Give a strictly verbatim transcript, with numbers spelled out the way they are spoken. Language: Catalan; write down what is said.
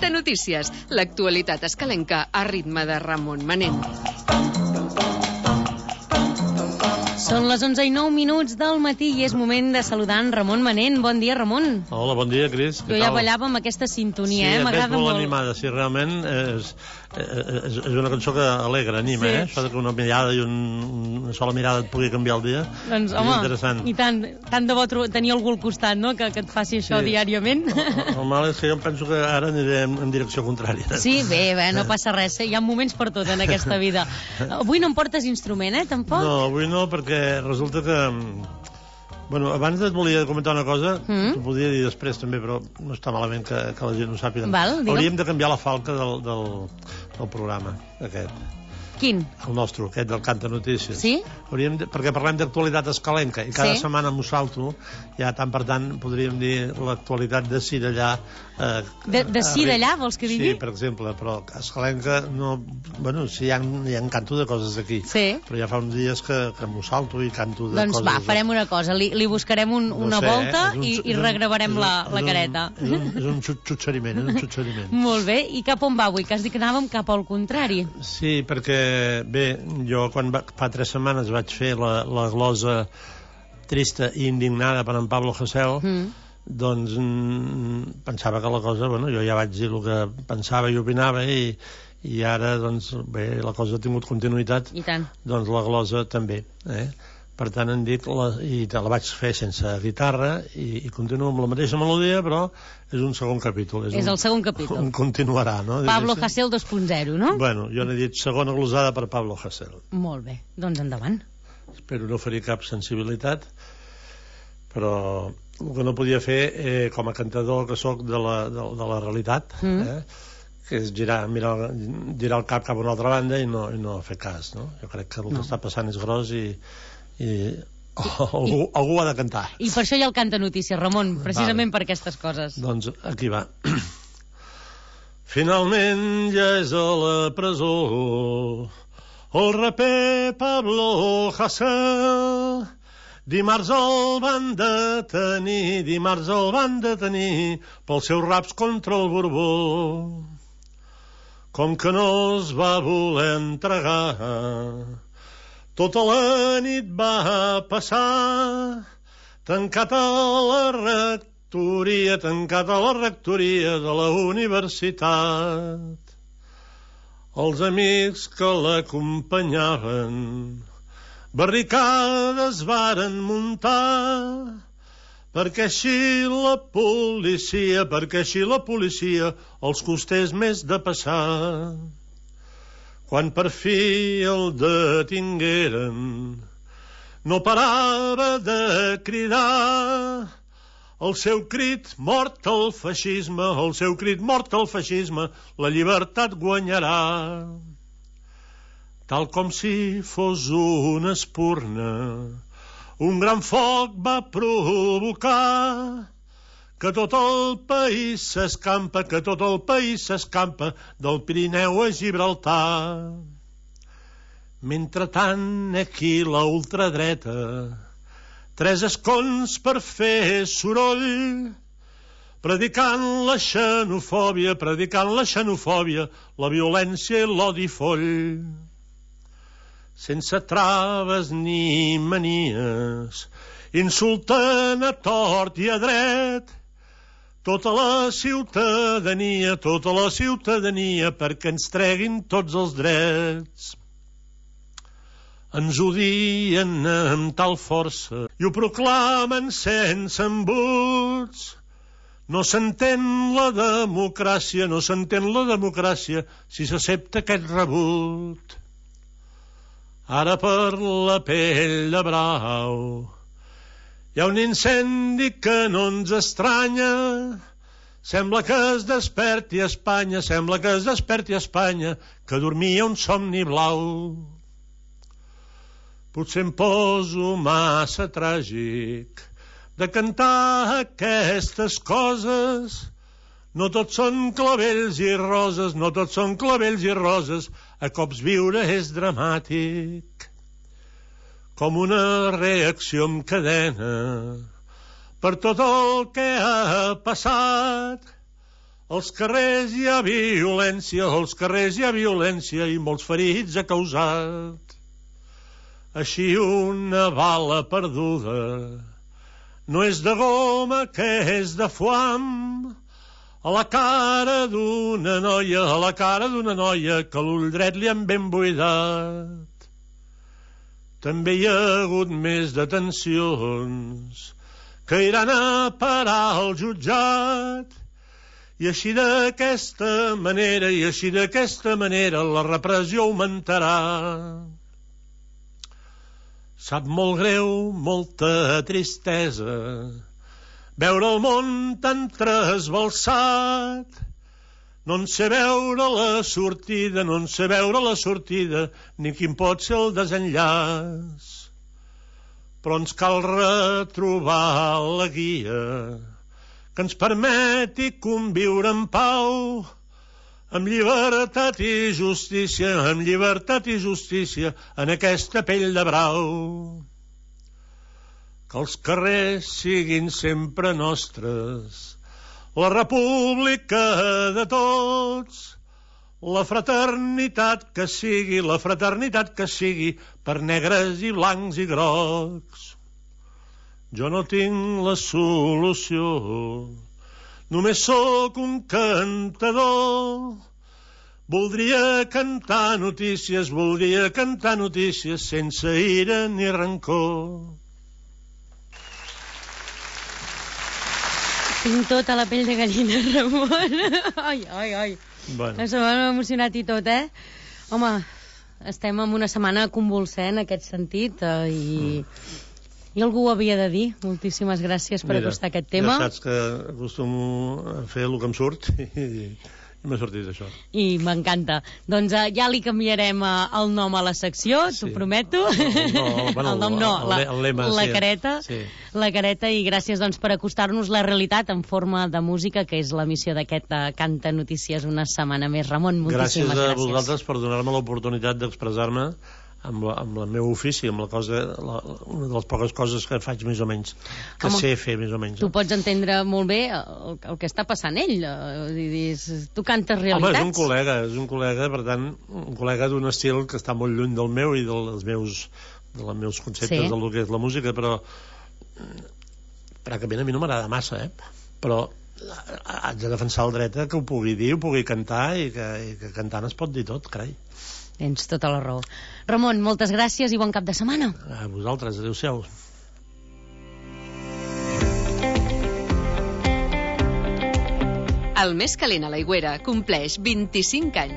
Cantanotícies, l'actualitat escalenca a ritme de Ramon Manent. Són les onze i nou minuts del matí i és moment de saludar en Ramon Manent. Bon dia, Ramon. Hola, bon dia, Cris. Jo ja ballava amb aquesta sintonia, sí, eh? M'agrada molt. Sí, et veig molt animada. Sí, realment és, és, és una cançó que alegra, anima, sí. eh? Això que una mirada i un, una sola mirada et pugui canviar el dia. Doncs, és home, interessant. I tant, tant de bo tenir algú al costat, no?, que, que et faci això sí. diàriament. El, el mal és que jo penso que ara aniré en, en direcció contrària. Sí, bé, bé, no passa res. Hi ha moments per tot en aquesta vida. Avui no em portes instrument, eh, tampoc? No, avui no, perquè resulta que... Bueno, abans et volia comentar una cosa, mm. t'ho podria dir després també, però no està malament que, que la gent ho sàpiga. Val, hauríem de canviar la falca del, del, del programa, aquest. Quin? El nostre, aquest del Cantanotícies. Sí? Hauríem de, perquè parlem d'actualitat escalenca i cada sí? setmana m'ho salto, ja tant per tant podríem dir l'actualitat de si d'allà. Eh, de de si d'allà, vols que digui? Sí, per exemple, però escalenca no... Bueno, sí, hi ha, hi ha canto de coses aquí, sí. però ja fa uns dies que, que m'ho salto i canto de doncs coses... Doncs va, farem una cosa, li, li buscarem un, no una sé, volta un, i, i regravarem un, la, la careta. És un, és un xutxeriment, és un xutxeriment. Molt bé, i cap on va avui? Que has dit que anàvem cap al contrari. Sí, perquè, bé, jo quan va, fa tres setmanes vaig fer la, la glosa trista i indignada per en Pablo Hasél, mm. doncs mm, pensava que la cosa, bueno, jo ja vaig dir el que pensava i opinava i, i ara, doncs, bé, la cosa ha tingut continuïtat. I tant. Doncs la glosa també, eh? Per tant, em dic, la, i la vaig fer sense guitarra i, i continuo amb la mateixa melodia, però és un segon capítol. És, és un, el segon capítol. Un continuarà, no? Pablo Hasél dos punt zero, no? Bueno, jo n'he dit segona glosada per Pablo Hasél. Molt bé, doncs endavant. Espero no ferir cap sensibilitat, però el que no podia fer, eh, com a cantador que sóc de la, de, de la realitat, mm. eh, que és girar, mirar, girar el cap cap a una altra banda i no, i no fer cas, no? Jo crec que el no. que està passant és gros i i oh, algú, I, algú ha de cantar. I per això hi ha el Cantanotícies, Ramon, precisament vale. Per aquestes coses. Doncs aquí va. Finalment ja és a la presó el raper Pablo Hasél. Dimarts el van detenir, dimarts el van detenir pels seus raps contra el Borbó. Com que no es va voler entregar, tota la nit va passar tancat a la rectoria, tancat a la rectoria de la universitat. Els amics que l'acompanyaven barricades varen muntar perquè així la policia, perquè així la policia els costés més de passar. Quan per fi el detingueren, no parava de cridar el seu crit mort al feixisme, el seu crit mort al feixisme, la llibertat guanyarà. Tal com si fos una espurna, un gran foc va provocar que tot el país s'escampa, que tot el país s'escampa del Pirineu a Gibraltar. Mentrestant, aquí la ultradreta, tres escons per fer soroll, predicant la xenofòbia, predicant la xenofòbia, la violència i l'odi foll. Sense traves ni manies, insulten a tort i a dret tota la ciutadania, tota la ciutadania, perquè ens treguin tots els drets. Ens odien amb tal força i ho proclamen sense embuts. No s'entén la democràcia, no s'entén la democràcia si s'accepta aquest rebut. Ara per la pell de brau hi ha un incendi que no ens estranya. Sembla que es desperti a Espanya, sembla que es desperti a Espanya, que dormia un somni blau. Potser em poso massa tràgic de cantar aquestes coses. No tots són clavells i roses, no tots són clavells i roses, a cops viure és dramàtic. Com una reacció en cadena per tot el que ha passat. Als carrers hi ha violència, als carrers hi ha violència i molts ferits ha causat. Així una bala perduda no és de goma, que és de foam, a la cara d'una noia, a la cara d'una noia que l'ull dret li han ben buidat. També hi ha hagut més detencions que iran a parar al jutjat. I així d'aquesta manera, i així d'aquesta manera, la repressió augmentarà. Sap molt greu, molta tristesa, veure el món tan trasbalsat. No en sé veure la sortida, no en sé veure la sortida, ni quin pot ser el desenllaç. Però ens cal retrobar la guia que ens permeti conviure en pau, amb llibertat i justícia, amb llibertat i justícia, en aquesta pell de brau. Que els carrers siguin sempre nostres, la república de tots, la fraternitat que sigui, la fraternitat que sigui, per negres i blancs i grocs. Jo no tinc la solució, només sóc un cantador. Voldria cantar notícies, voldria cantar notícies sense ira ni rancor. Tinc tota la pell de gallina, Ramon. Ai, ai, ai. Bueno. M'ha emocionat i tot, eh? Home, estem en una setmana convulsent en aquest sentit, eh, i... Mm. I algú ho havia de dir. Moltíssimes gràcies per Mira, acostar aquest tema. Ja saps que acostumo a fer el que em surt i, i m'ha sortit això. I m'encanta. Doncs uh, ja li canviarem uh, el nom a la secció, sí. T'ho prometo. No, no, bueno, el nom no, el, la, el lema, la sí. careta. Sí. La careta, i gràcies doncs, per acostar-nos la realitat en forma de música, que és la missió d'aquest uh, Canta Notícies una setmana més. Ramon, moltíssimes gràcies. Gràcies a vosaltres per donar-me l'oportunitat d'expressar-me amb, la, amb el meu ofici, amb la cosa, la, una de les poques coses que faig més o menys, que Home, sé fer més o menys. Tu pots entendre molt bé el, el que està passant ell. Dius, tu cantes realitats. Home, és un col·lega, és un col·lega, per tant, un col·lega d'un estil que està molt lluny del meu i dels meus, dels meus conceptes, sí, del que és la música, però francament a mi no m'agrada massa, eh? Però haig de defensar el dret que ho pugui dir, ho pugui cantar, i que, i que cantant es pot dir tot, carai. Tens tota la raó. Ramon, moltes gràcies i bon cap de setmana. A vosaltres, adéu-siau. El més calent a l'Aigüera compleix vint-i-cinc anys.